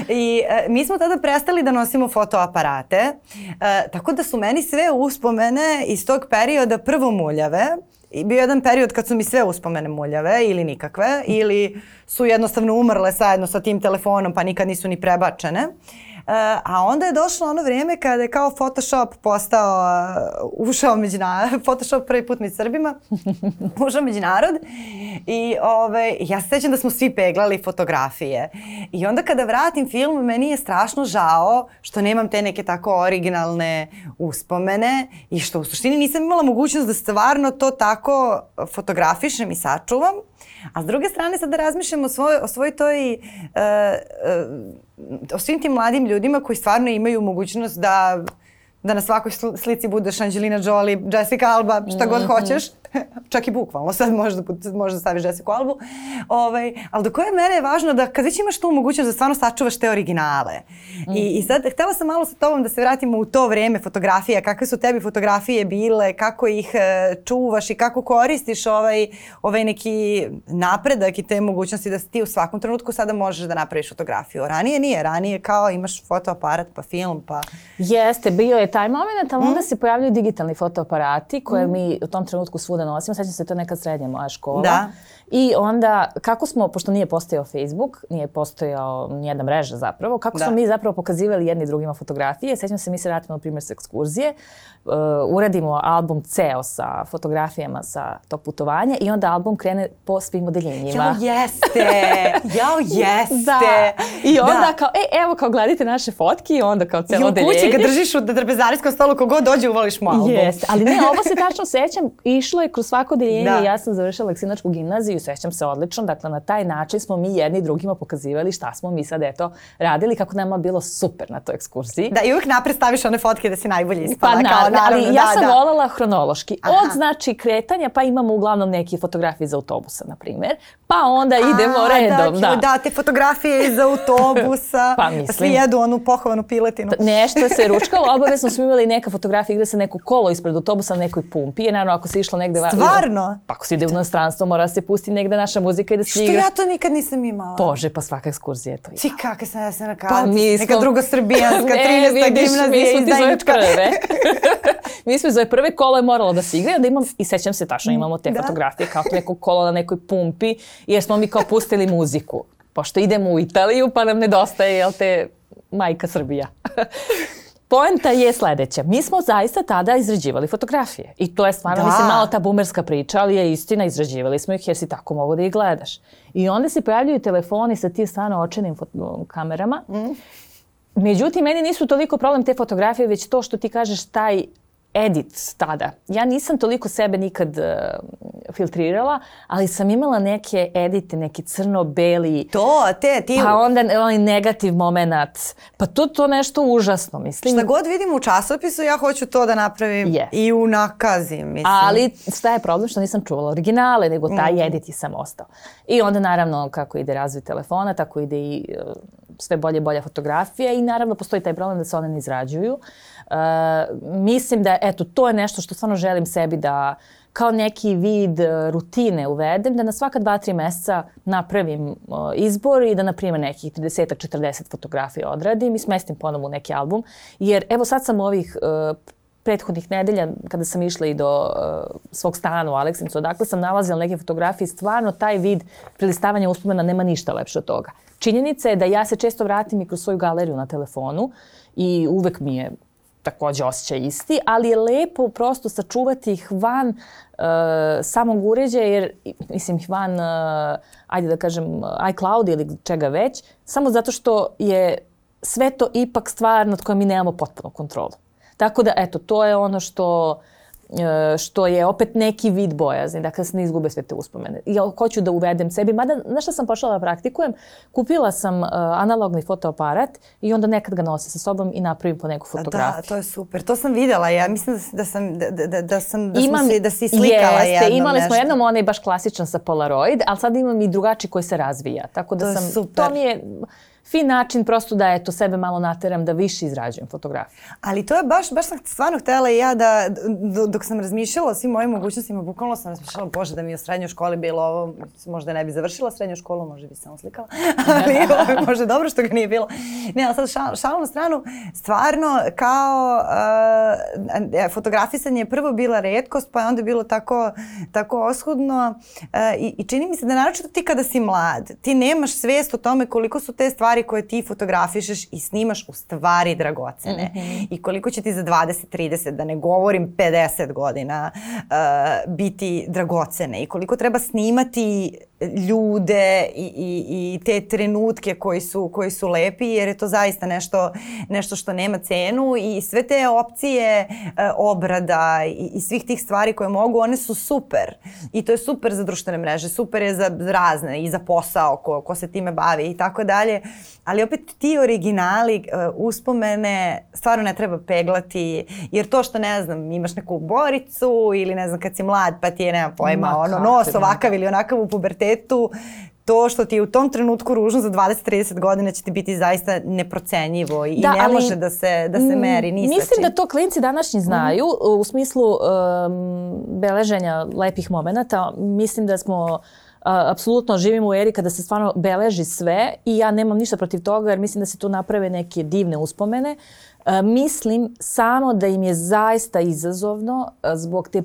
I uh, mi smo tada prestali da nosimo fotoaparate, uh, tako da su meni sve uspomene iz tog perioda prvo muljave. I bio jedan period kad su mi sve uspomene muljave ili nikakve, ili su jednostavno umrle zajedno sa tim telefonom pa nikad nisu ni prebačene. Uh, a onda je došlo ono vrijeme kada je kao Photoshop postao, uh, ušao među narod, Photoshop prvi put među Srbima, ušao među narod i ove, ja se sjećam da smo svi peglali fotografije. I onda kada vratim film, meni je strašno žao što nemam te neke tako originalne uspomene i što u suštini nisam imala mogućnost da stvarno to tako fotografišem i sačuvam. A s druge strane sad da razmišljam o svoj, o svoj toj, uh, uh, o svim tim mladim ljudima koji stvarno imaju mogućnost da, da na svakoj slici budeš Angelina Jolie, Jessica Alba, šta god mm-hmm. hoćeš. Čak i bukvalno, sad možda, možda staviš Jessica Albu. Ovaj, ali do koje mene je važno da kad već imaš tu mogućnost da stvarno sačuvaš te originale. Mm. I, I sad htela sam malo sa tobom da se vratimo u to vrijeme fotografija. Kakve su tebi fotografije bile, kako ih e, čuvaš i kako koristiš ovaj, ovaj neki napredak i te mogućnosti da ti u svakom trenutku sada možeš da napraviš fotografiju. Ranije nije, ranije kao imaš fotoaparat pa film pa... Jeste, bio je taj moment, ali mm. onda se pojavljaju digitalni fotoaparati koje mm. mi u tom trenutku svuda nosimo. Sećam se, to je nekad srednja moja škola. Da. I onda, kako smo, pošto nije postojao Facebook, nije postojao nijedna mreža zapravo, kako da. smo mi zapravo pokazivali jedni drugima fotografije. Sećam se, mi se vratimo, na primjer, s ekskurzije, uh, uradimo album ceo sa fotografijama sa tog putovanja i onda album krene po svim odeljenjima. Jao, jeste! Jao, jeste! Da. I onda da. kao, e, evo, kao gledajte naše fotke i onda kao celo odeljenje. I u kući ga držiš u trpezarijskom stolu, kogod dođe uvališ mu album. Jeste, ali ne, ovo se tačno sećam, išlo je kroz svako odeljenje i ja sam završila Aleksinačku gimnaziju. Sećam se odlično, dakle na taj način smo mi jedni drugima pokazivali šta smo mi sad eto radili, kako nama bilo super na toj ekskurziji. Da, i uvijek napred staviš one fotke da si najbolje ispala. Pa kao, naravno, ali ja da, sam da. volala hronološki. Aha. Od znači kretanja pa imamo uglavnom neke fotografije iz autobusa, na primjer, pa onda idemo A, redom. Da, da. da, te fotografije iz autobusa, pa mislim, svi jedu onu pohovanu piletinu. Nešto se ručkalo, obavezno smo imali neka fotografija gde se neko kolo ispred autobusa na nekoj pumpi, jer naravno ako se išlo negde... Stvarno? Pa ako se ide u inostranstvo, mora se pusti negde naša muzika i da se igra. Što ja to nikad nisam imala? Bože, pa svaka ekskurzija je to imala. Ti kakve sam ja se na pa mi smo... neka drugosrbijanska, trinaesta gimnazija izdajnička. Mi smo iz ove prve kolo je moralo da se igra, onda imam, i sećam se tačno, imamo te da. fotografije kao neko kolo na nekoj pumpi, jer smo mi kao pustili muziku. Pošto idemo u Italiju, pa nam nedostaje, jel te, majka Srbija. Poenta je sledeća. Mi smo zaista tada izrađivali fotografije. I to je stvarno, da. mislim, malo ta bumerska priča, ali je istina, izrađivali smo ih jer si tako mogu da ih gledaš. I onda se pojavljuju telefoni sa tim stvarno očenim kamerama. Mm. Međutim, meni nisu toliko problem te fotografije, već to što ti kažeš taj edit tada. Ja nisam toliko sebe nikad uh, filtrirala, ali sam imala neke edite, neki crno-beli. To, te, ti... Pa onda onaj negativ moment. Pa to to nešto užasno, mislim. Šta god vidim u časopisu, ja hoću to da napravim yes. i unakazim, mislim. Ali šta je problem što nisam čuvala originale, nego taj mm. edit je sam ostao. I onda naravno kako ide razvoj telefona, tako ide i uh, sve bolje i bolja fotografija i naravno postoji taj problem da se one ne izrađuju. Uh, mislim da, eto, to je nešto što stvarno želim sebi da kao neki vid rutine uvedem, da na svaka dva, tri mjeseca napravim uh, izbor i da, na primjer, nekih trideset četrdeset fotografija odradim i smestim ponovo u neki album. Jer, evo, sad sam ovih uh, prethodnih nedelja, kada sam išla i do uh, svog stana u Aleksincu, odakle sam nalazila neke fotografije, stvarno taj vid prelistavanja uspomena nema ništa lepše od toga. Činjenica je da ja se često vratim i kroz svoju galeriju na telefonu i uvek mi je takođe osjećaj isti, ali je lepo prosto sačuvati ih van uh, samog uređaja, jer, mislim, ih van, uh, ajde da kažem, iCloud ili čega već, samo zato što je sve to ipak stvar nad kojom mi nemamo potpunu kontrolu. Tako da, eto, to je ono što... što je opet neki vid bojazni, dakle se ne izgube sve te uspomene. Ja hoću da uvedem sebi, mada, znaš šta sam počela da praktikujem? Kupila sam uh, analogni fotoaparat i onda nekad ga nosim sa sobom i napravim po neku fotografiju. Da, to je super. To sam videla. Ja mislim da sam, da, da, da sam, da imam, si, da si slikala jeste, jednom imali nešto. smo jednom onaj baš klasičan sa Polaroid, ali sad imam i drugačiji koji se razvija. Tako da to sam, super. To mi je fin način prosto da eto sebe malo nateram da više izrađujem fotografiju. Ali to je baš, baš sam stvarno htjela i ja da, dok sam razmišljala o svim mojim mogućnostima, bukvalno sam razmišljala, bože, da mi u srednjoj školi bilo ovo, možda ne bi završila srednju školu, možda bi samo slikala, ali ovo, možda dobro što ga nije bilo. Ne, ali sad šal, šalom na stranu, stvarno kao uh, fotografisanje je prvo bila retkost, pa je onda bilo tako, tako oskudno uh, i, i čini mi se da naročito ti kada si mlad, ti nemaš svijest o tome koliko su te stvari koje ti fotografišeš i snimaš u stvari dragocene. Mm-hmm. I koliko će ti za dvadeset, trideset, da ne govorim pedeset godina, uh, biti dragocene. I koliko treba snimati ljude i, i, i te trenutke koji su, koji su lepi, jer je to zaista nešto, nešto što nema cenu i sve te opcije uh, obrada i, i svih tih stvari koje mogu, one su super. I to je super za društvene mreže, super je za razne i za posao ko, ko se time bavi i tako dalje. Ali opet ti originali, uh, uspomene, stvarno ne treba peglati, jer to što, ne znam, imaš neku boricu ili ne znam kad si mlad pa ti je, nema pojma, Ma, ono, nos ovakav ili onakav u pubertetu, to što ti je u tom trenutku ružno za dvadeset trideset godina će ti biti zaista neprocenjivo i, da, i ne ali, može da se, da se meri ni sa čim. Mislim da to klinci današnji znaju mm-hmm. u smislu um, beleženja lepih momenata. Mislim da smo apsolutno živimo u eri kada se stvarno beleži sve i ja nemam ništa protiv toga jer mislim da se tu naprave neke divne uspomene. Uh, mislim samo da im je zaista izazovno uh, zbog te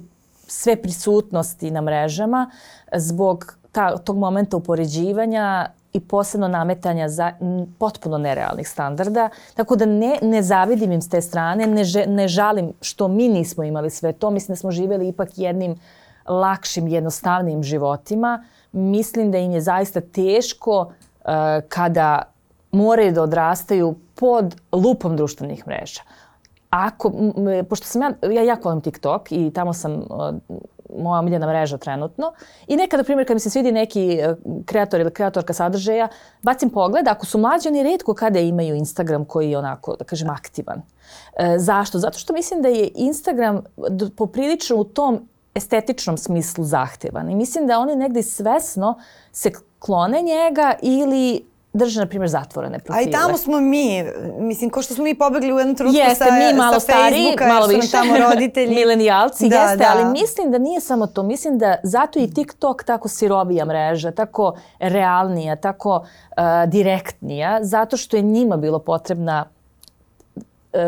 sve prisutnosti na mrežama, zbog ta, tog momenta upoređivanja i posebno nametanja za m, potpuno nerealnih standarda. Tako da ne, ne zavidim im s te strane, ne, že, ne žalim što mi nismo imali sve to. Mislim da smo živjeli ipak jednim lakšim, jednostavnim životima. Mislim da im je zaista teško uh, kada moraju da odrastaju pod lupom društvenih mreža. Ako, m, pošto sam ja, ja jako volim TikTok i tamo sam uh, moja omiljena mreža trenutno i nekada, na primjer, kad mi se svidi neki uh, kreator ili kreatorka sadržaja, bacim pogled, ako su mlađi, oni retko kada imaju Instagram koji je onako, da kažem, aktivan. Uh, zašto? Zato što mislim da je Instagram poprilično u tom estetičnom smislu zahtevan i mislim da oni negdje svesno se klone njega ili drže, na primjer, zatvorene profile. A i tamo smo mi, mislim, ko što smo mi pobegli u jednom trenutku jeste, sa, mi malo sa stariji, Facebooka, malo više, tamo roditelji. milenijalci, da, jeste, da. Ali mislim da nije samo to. Mislim da zato i TikTok tako sirovija mreža, tako realnija, tako uh, direktnija, zato što je njima bilo potrebna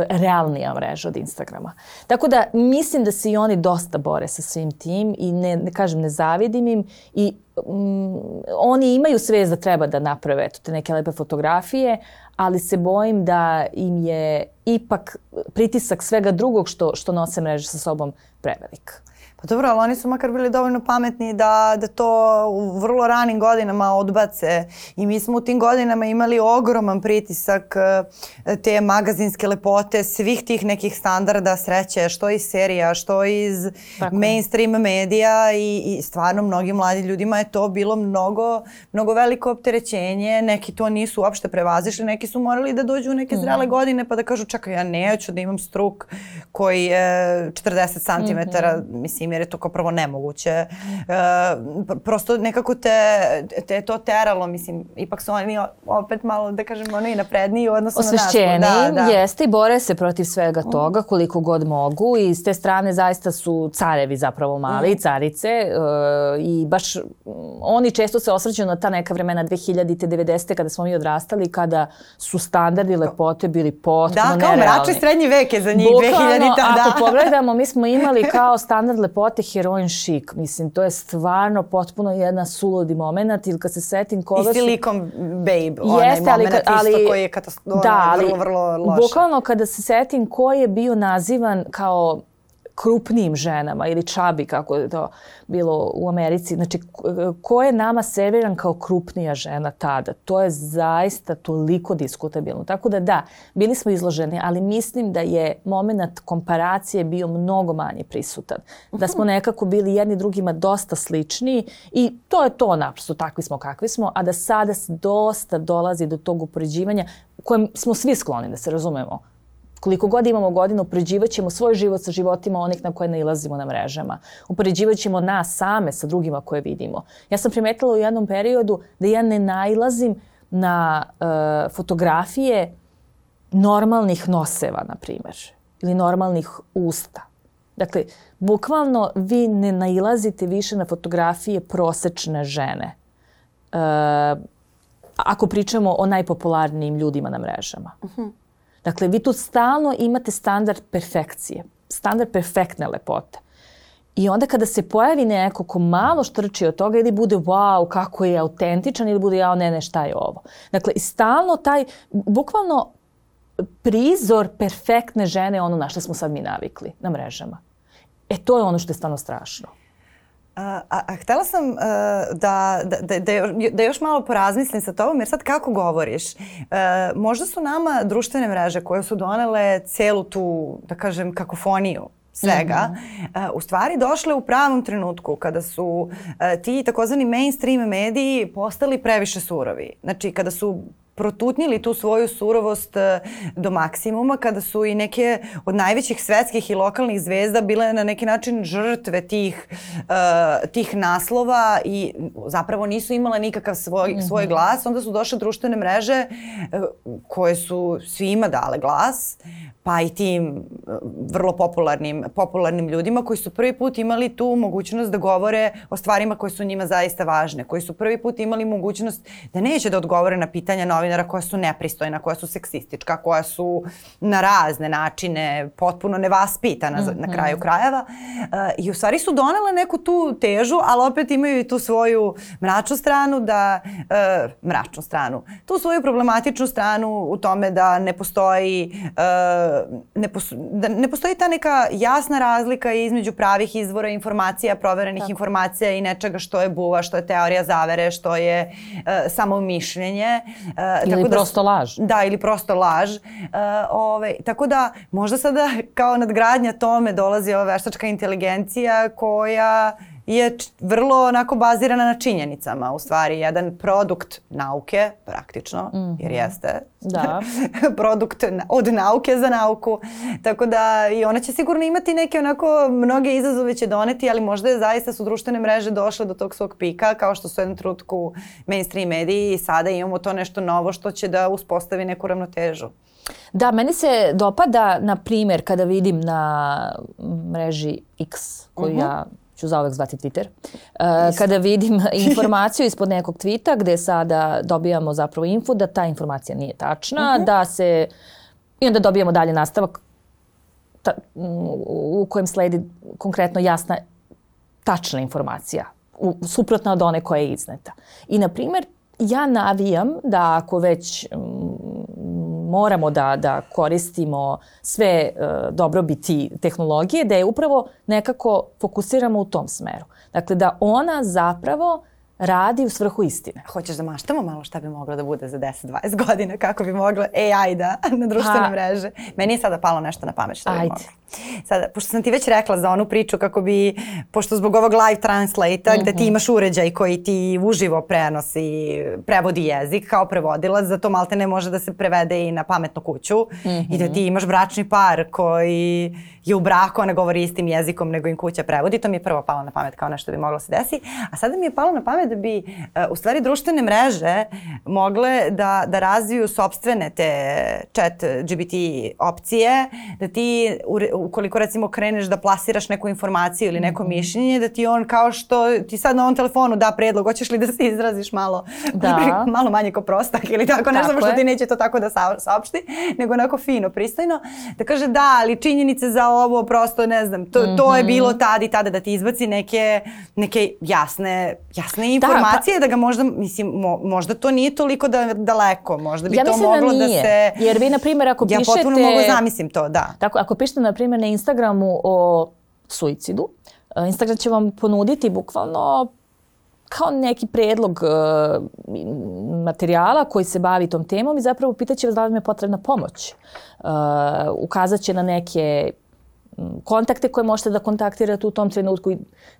realnija mreža od Instagrama. Tako da mislim da se i oni dosta bore sa svim tim i ne, ne kažem, ne zavidim im i um, oni imaju svest da treba da naprave eto, te neke lepe fotografije, ali se bojim da im je ipak pritisak svega drugog što, što nose mreže sa sobom prevelik. Pa dobro, ali oni su makar bili dovoljno pametni da, da to u vrlo ranim godinama odbace i mi smo u tim godinama imali ogroman pritisak te magazinske lepote, svih tih nekih standarda sreće, što iz serija, što iz Tako. mainstream medija i, i stvarno mnogim mladim ljudima je to bilo mnogo, mnogo veliko opterećenje, neki to nisu uopšte prevazišli, neki su morali da dođu u neke zrele mm. godine pa da kažu čekaj, ja neću da imam struk koji je četrdeset centimetara, mm-hmm. mislim, jer je to kao prvo nemoguće. E, prosto nekako te, te to teralo, mislim, ipak su oni opet malo, da kažemo, oni napredniji u odnosu na nas. Osvešćeni, da, da. Jeste i bore se protiv svega toga koliko god mogu i s te strane zaista su carevi zapravo mali, mm. carice e, i baš oni često se osvrćaju na ta neka vremena dve hiljadite, devedesete kada smo mi odrastali, kada su standardi lepote bili potpuno nerealni. Da, kao mračni srednji vek je za njih dve hiljadite. Da. Ako pogledamo, mi smo imali kao standard lepote heroin chic. Mislim, to je stvarno potpuno jedna suludi moment. Ili kad se setim koga su... I Silicon Babe, onaj Jeste, ali, moment ali, isto koji je katastrofa, da, ali, vrlo, vrlo loše. Bukvalno kada se setim ko je bio nazivan kao krupnijim ženama ili čabi, kako je to bilo u Americi. Znači, ko je nama serviran kao krupnija žena tada? To je zaista toliko diskutabilno. Tako da da, bili smo izloženi, ali mislim da je moment komparacije bio mnogo manje prisutan. Da smo nekako bili jedni drugima dosta slični i to je to naprosto, takvi smo kakvi smo, a da sada dosta dolazi do tog upoređivanja kojem smo svi skloni, da se razumemo. Koliko god imamo godina, upoređivat ćemo svoj život sa životima onih na koje nailazimo na mrežama. Upoređivat ćemo nas same sa drugima koje vidimo. Ja sam primetila u jednom periodu da ja ne nailazim na uh, fotografije normalnih noseva, na primjer, ili normalnih usta. Dakle, bukvalno vi ne nailazite više na fotografije prosečne žene. Uh, ako pričamo o najpopularnijim ljudima na mrežama. Uh-huh. Dakle, vi tu stalno imate standard perfekcije, standard perfektne lepote. I onda kada se pojavi neko ko malo štrči od toga ili bude wow, kako je autentičan ili bude jao, ne, ne, šta je ovo. Dakle, i stalno taj, bukvalno prizor perfektne žene, ono na što smo sad mi navikli na mrežama. E, to je ono što je stvarno strašno. A, a, a htjela sam uh, da, da, da, da još malo porazmislim sa tobom, jer sad kako govoriš, uh, možda su nama društvene mreže koje su donele celu tu, da kažem, kakofoniju svega, mm-hmm. uh, u stvari došle u pravom trenutku kada su uh, ti takozvani mainstream mediji postali previše surovi. Znači, kada su protutnjili tu svoju surovost do maksimuma, kada su i neke od najvećih svetskih i lokalnih zvezda bile na neki način žrtve tih, uh, tih naslova i zapravo nisu imale nikakav svoj, mm-hmm. svoj glas. Onda su došle društvene mreže uh, koje su svima dale glas, pa i tim vrlo popularnim, popularnim ljudima koji su prvi put imali tu mogućnost da govore o stvarima koje su njima zaista važne, koji su prvi put imali mogućnost da neće da odgovore na pitanja novinara koja su nepristojna, koja su seksistička, koja su na razne načine potpuno nevaspitana mm-hmm. na kraju krajeva. Uh, I u stvari su donele neku tu težu, ali opet imaju i tu svoju mračnu stranu, da, uh, mračnu stranu, tu svoju problematičnu stranu u tome da ne postoji uh, Ne, pos- da ne postoji ta neka jasna razlika između pravih izvora informacija, proverenih Tako. informacija i nečega što je buva, što je teorija zavere, što je uh, samo mišljenje. Uh, ili tako prosto da, laž. Da, ili prosto laž. Uh, ove, tako da možda sada kao nadgradnja tome dolazi ova veštačka inteligencija koja je vrlo onako bazirana na činjenicama. U stvari, jedan produkt nauke, praktično, mm-hmm. jer jeste da. produkt od nauke za nauku. Tako da i ona će sigurno imati neke onako, mnoge izazove će doneti, ali možda je zaista su društvene mreže došle do tog svog pika, kao što su u jednom trenutku mainstream mediji i sada imamo to nešto novo što će da uspostavi neku ravnotežu. Da, meni se dopada, na primjer, kada vidim na mreži X, koju mm-hmm. ja ću zauvek zvati Twitter, uh, kada vidim informaciju ispod nekog tvita gde sada dobijamo zapravo info da ta informacija nije tačna, uh-huh. da se, i onda dobijamo dalje nastavak ta, u kojem sledi konkretno jasna, tačna informacija, u, suprotna od one koja je izneta. I, na primjer, ja navijam da ako već moramo da, da koristimo sve uh, dobrobiti tehnologije, da je upravo nekako fokusiramo u tom smeru. Dakle, da ona zapravo radi u svrhu istine. Hoćeš da maštamo malo šta bi moglo da bude za deset dvadeset godina, kako bi mogla A I da na društvene ha. mreže? Meni je sada palo nešto na pamet šta bi Ajde. mogla. Sada, pošto sam ti već rekla za onu priču kako bi, pošto zbog ovog live translate-a mm-hmm. gde ti imaš uređaj koji ti uživo prenosi, prevodi jezik kao prevodilac, zato malte ne može da se prevede i na pametnu kuću mm-hmm. i da ti imaš bračni par koji je u braku, ona govori istim jezikom nego im kuća prevodi. To mi je prvo palo na pamet kao nešto bi moglo se desi. A sada mi je palo na pamet da bi uh, u stvari društvene mreže mogle da, da razviju sopstvene te chat G B T opcije, da ti ukoliko recimo kreneš da plasiraš neku informaciju ili neko mm-hmm. mišljenje, da ti on kao što ti sad na ovom telefonu da predlog, hoćeš li da se izraziš malo, da. malo manje ko prostak ili tako, ne znam što ti neće to tako da saopšti, nego onako fino, pristojno, da kaže da, ali činjenice za ovo prosto ne znam, to, mm-hmm. to je bilo tad i tada, da ti izbaci neke, neke jasne, jasne informacije, da, pa, da ga možda, mislim, mo, možda to nije toliko da, daleko, možda bi ja to moglo da, da se... Jer vi, na primjer, ako ja pišete... Ja potpuno mogu zamislim to, da. Tako, ako pišete, na primjer, na Instagramu o suicidu, Instagram će vam ponuditi bukvalno kao neki predlog uh, materijala koji se bavi tom temom i zapravo pitaće vas da li vam je potrebna pomoć. Uh, ukazat će na neke kontakte koje možete da kontaktirate u tom trenutku.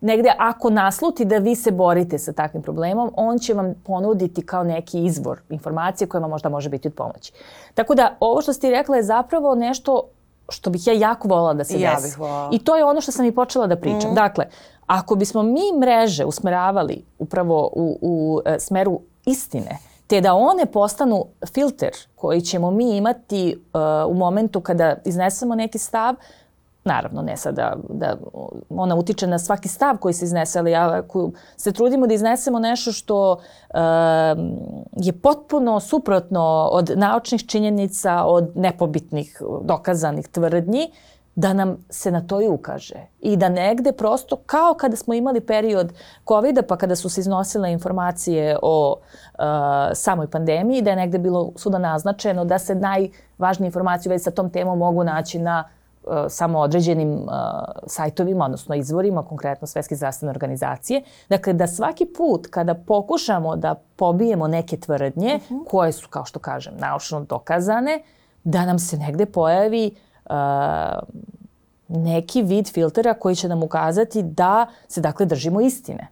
Negde ako nasluti da vi se borite sa takvim problemom, on će vam ponuditi kao neki izvor informacije koja vam možda može biti od pomoći. Tako da ovo što ste rekla je zapravo nešto što bih ja jako voljela da se ja desi. I to je ono što sam i počela da pričam. Mm. Dakle, ako bismo mi mreže usmeravali upravo u, u e, smeru istine, te da one postanu filter koji ćemo mi imati e, u momentu kada iznesemo neki stav, naravno ne sad da, da ona utiče na svaki stav koji se iznese, ali ako se trudimo da iznesemo nešto što uh, je potpuno suprotno od naučnih činjenica, od nepobitnih dokazanih tvrdnji, da nam se na to i ukaže. I da negde prosto, kao kada smo imali period kovida, pa kada su se iznosile informacije o uh, samoj pandemiji, da je negde bilo svuda naznačeno da se najvažnije informacije već sa tom temom mogu naći na samo određenim uh, sajtovima, odnosno izvorima, konkretno Svetske zdravstvene organizacije. Dakle, da svaki put kada pokušamo da pobijemo neke tvrdnje, uh-huh. koje su, kao što kažem, naučno dokazane, da nam se negde pojavi uh, neki vid filtera koji će nam ukazati da se, dakle, držimo istine.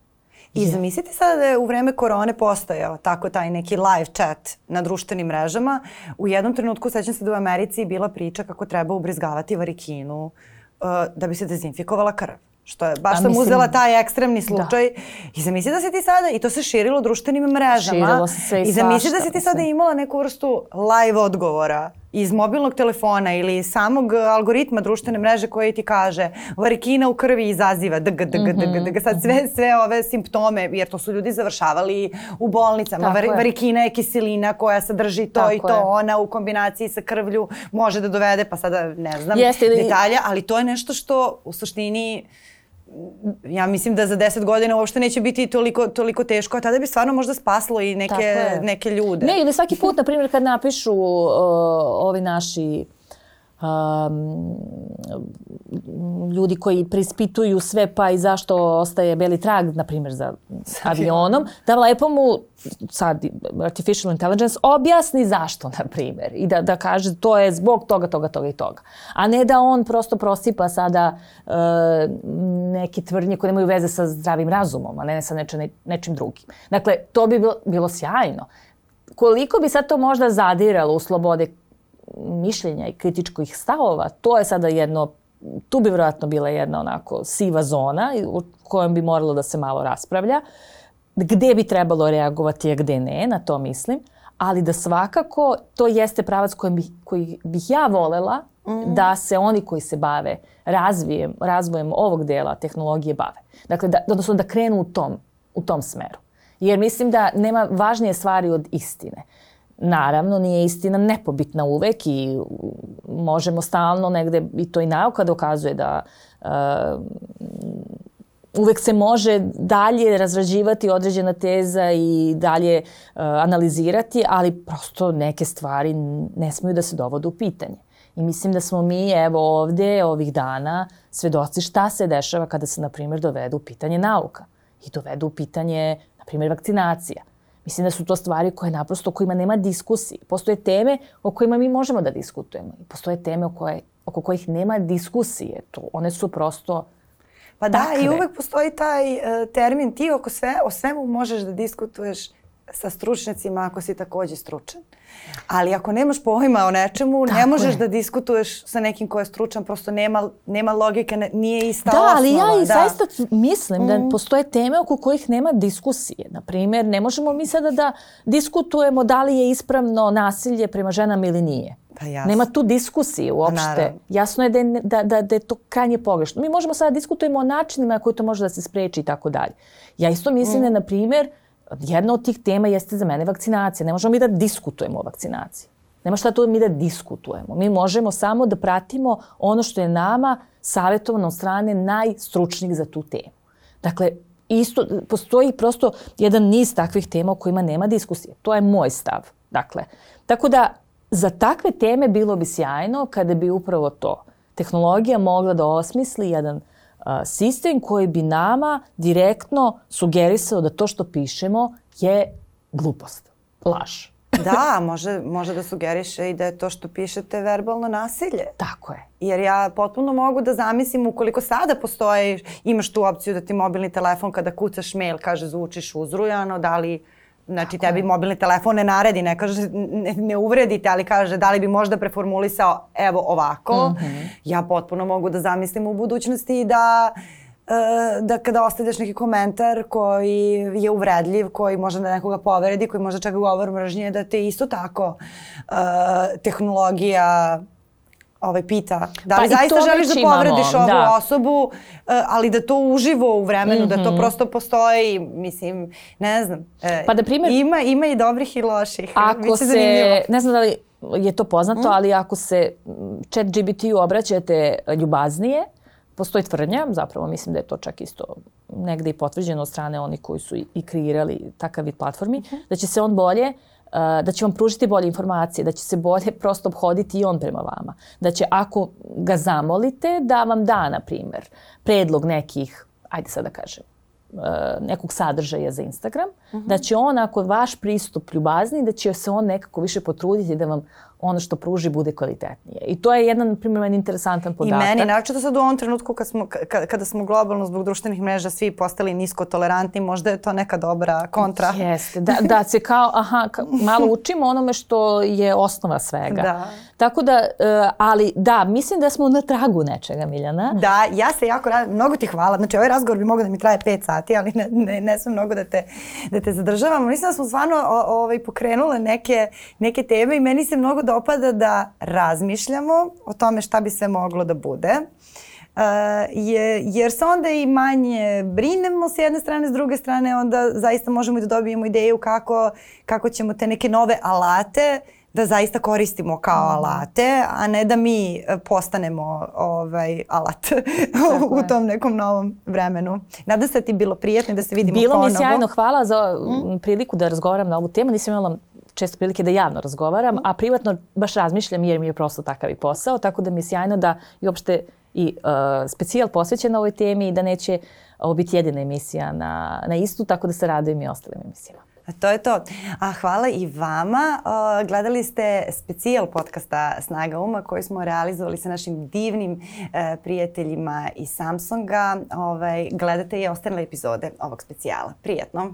I zamislite sada da je u vreme korone postojao tako taj neki live chat na društvenim mrežama. U jednom trenutku, sećam se da u Americi bila priča kako treba ubrizgavati varikinu uh, da bi se dezinfikovala krv. Što je, baš sam mislim, uzela taj ekstremni slučaj. Da. I zamisli da si ti sada, i to se širilo društvenim mrežama. Širilo se sve i I zamisli svašta, da si ti sada imala neku vrstu live odgovora iz mobilnog telefona ili samog algoritma društvene mreže koji ti kaže varikina u krvi izaziva dg, dg, dg, dg, sad sve, sve ove simptome, jer to su ljudi završavali u bolnicama. Var, varikina je kiselina koja sadrži to Tako i to, je. Ona u kombinaciji sa krvlju može da dovede, pa sada ne znam Jeste, detalja, ali to je nešto što u suštini ja mislim da za deset godina uopšte neće biti toliko, toliko teško, a tada bi stvarno možda spaslo i neke, neke ljude. Ne, ili svaki put, na primjer, kad napišu uh, ovi naši um, ljudi koji preispituju sve pa i zašto ostaje beli trag, na primjer, za avionom, da lepo mu sad artificial intelligence objasni zašto, na primjer, i da, da kaže to je zbog toga, toga, toga i toga. A ne da on prosto prosipa sada uh, neke tvrdnje koje nemaju veze sa zdravim razumom, a ne sa neče, nečim drugim. Dakle, to bi bilo, bilo sjajno. Koliko bi sad to možda zadiralo u slobode mišljenja i kritičkih stavova, to je sada jedno, tu bi vjerojatno bila jedna onako siva zona u kojom bi moralo da se malo raspravlja. Gde bi trebalo reagovati, a gde ne, na to mislim. Ali da svakako to jeste pravac koji bih, koji bih ja volela mm. da se oni koji se bave razvijem, razvojem ovog dela tehnologije bave. Dakle, da, odnosno da krenu u tom, u tom smeru. Jer mislim da nema važnije stvari od istine. Naravno, nije istina nepobitna uvek i možemo stalno negde, i to i nauka dokazuje da uh, uvek se može dalje razrađivati određena teza i dalje uh, analizirati, ali prosto neke stvari ne smiju da se dovode u pitanje. I mislim da smo mi evo ovde ovih dana svedoci šta se dešava kada se, na primjer, dovedu u pitanje nauka i dovedu u pitanje, na primjer, vakcinacija. Mislim da su to stvari koje naprosto, o kojima nema diskusije. Postoje teme o kojima mi možemo da diskutujemo. I postoje teme o koje, oko kojih nema diskusije. To, one su prosto Pa da, takve. I uvek postoji taj uh, termin, ti oko sve, o svemu možeš da diskutuješ sa stručnjacima ako si takođe stručan. Ali ako nemaš pojma o nečemu, Tako ne možeš je. da diskutuješ sa nekim ko je stručan, prosto nema, nema logike, ne, nije ista da, osnova. Ali ja i da. zaista mislim mm. da postoje teme oko kojih nema diskusije. Naprimjer, ne možemo mi sada da diskutujemo da li je ispravno nasilje prema ženama ili nije. Pa jasno. Nema tu diskusije uopšte. Naravno. Jasno je da je, da, da, da je to krajnje pogrešno. Mi možemo sada diskutujemo o načinima na koji to može da se spreči i tako dalje. Ja isto mislim mm. da, na primjer, jedna od tih tema jeste za mene vakcinacija. Ne možemo mi da diskutujemo o vakcinaciji. Nema šta tu mi da diskutujemo. Mi možemo samo da pratimo ono što je nama savjetovano od strane najstručnijih za tu temu. Dakle, isto, postoji prosto jedan niz takvih tema o kojima nema diskusije. To je moj stav. Dakle, tako da za takve teme bilo bi sjajno kada bi upravo to tehnologija mogla da osmisli jedan uh, sistem koji bi nama direktno sugerisao da to što pišemo je glupost, laž. Da, može, može da sugeriše i da je to što pišete verbalno nasilje. Tako je. Jer ja potpuno mogu da zamislim ukoliko sada postoji, imaš tu opciju da ti mobilni telefon kada kucaš mail kaže zvučiš uzrujano, da li znači Tako tebi je. mobilni telefon ne naredi, ne kaže, ne, ne uvredite, ali kaže da li bi možda preformulisao evo ovako. Mm-hmm. Ja potpuno mogu da zamislim u budućnosti da da kada ostavljaš neki komentar koji je uvredljiv, koji može da nekoga povredi, koji može čak govor mržnje, da te isto tako uh, tehnologija ovaj, pita da li pa zaista želiš da povrediš imamo, ovu da. osobu, uh, ali da to uživo u vremenu, mm-hmm. da to prosto postoji, mislim, ne znam. Uh, pa da primjer, ima, ima i dobrih i loših. Ako se, zanimljivo. Ne znam da li je to poznato, mm. ali ako se chat G P T-u obraćate ljubaznije, postoji tvrdnja, zapravo mislim da je to čak isto negde i potvrđeno od strane onih koji su i kreirali takav vid platformi, uh-huh. da će se on bolje, uh, da će vam pružiti bolje informacije, da će se bolje prosto obhoditi i on prema vama. Da će ako ga zamolite da vam da, na primjer, predlog nekih, ajde sad da kažem, uh, nekog sadržaja za Instagram, uh-huh. da će on, ako vaš pristup ljubazni, da će se on nekako više potruditi da vam ono što pruži bude kvalitetnije. I to je jedan, primjer, interesantan podatak. I meni, naročito sad u ovom trenutku kad smo, kada, kada smo globalno zbog društvenih mreža svi postali nisko tolerantni, možda je to neka dobra kontra. Jeste, da, da se kao, aha, ka, malo učimo onome što je osnova svega. Da. Tako da, uh, ali da, mislim da smo na tragu nečega, Miljana. Da, ja se jako radim, mnogo ti hvala. Znači, ovaj razgovor bi mogao da mi traje pet sati, ali ne, ne, ne sam mnogo da te, da te zadržavam. Mislim da smo stvarno o, ovaj, pokrenule neke, neke teme i meni se mnogo dopada da razmišljamo o tome šta bi sve moglo da bude. Uh, je, jer se onda i manje brinemo s jedne strane, s druge strane onda zaista možemo i da dobijemo ideju kako, kako ćemo te neke nove alate da zaista koristimo kao alate, a ne da mi postanemo ovaj, alat u tom nekom novom vremenu. Nadam se da ti je bilo prijatno i da se vidimo bilo ponovo. Bilo mi je sjajno, hvala za mm. priliku da razgovaram na ovu temu. Nisam imala često prilike da javno razgovaram, a privatno baš razmišljam jer mi je prosto takav i posao, tako da mi je sjajno da i uopšte i uh, specijal posvećen ovoj temi i da neće ovo biti jedina emisija na, na istu, tako da se radujem i ostalim emisijama. A to je to. A hvala i vama. Uh, gledali ste specijal podcasta Snaga uma koji smo realizovali sa našim divnim uh, prijateljima iz Samsunga. Ovaj, gledate i ostale epizode ovog specijala. Prijatno!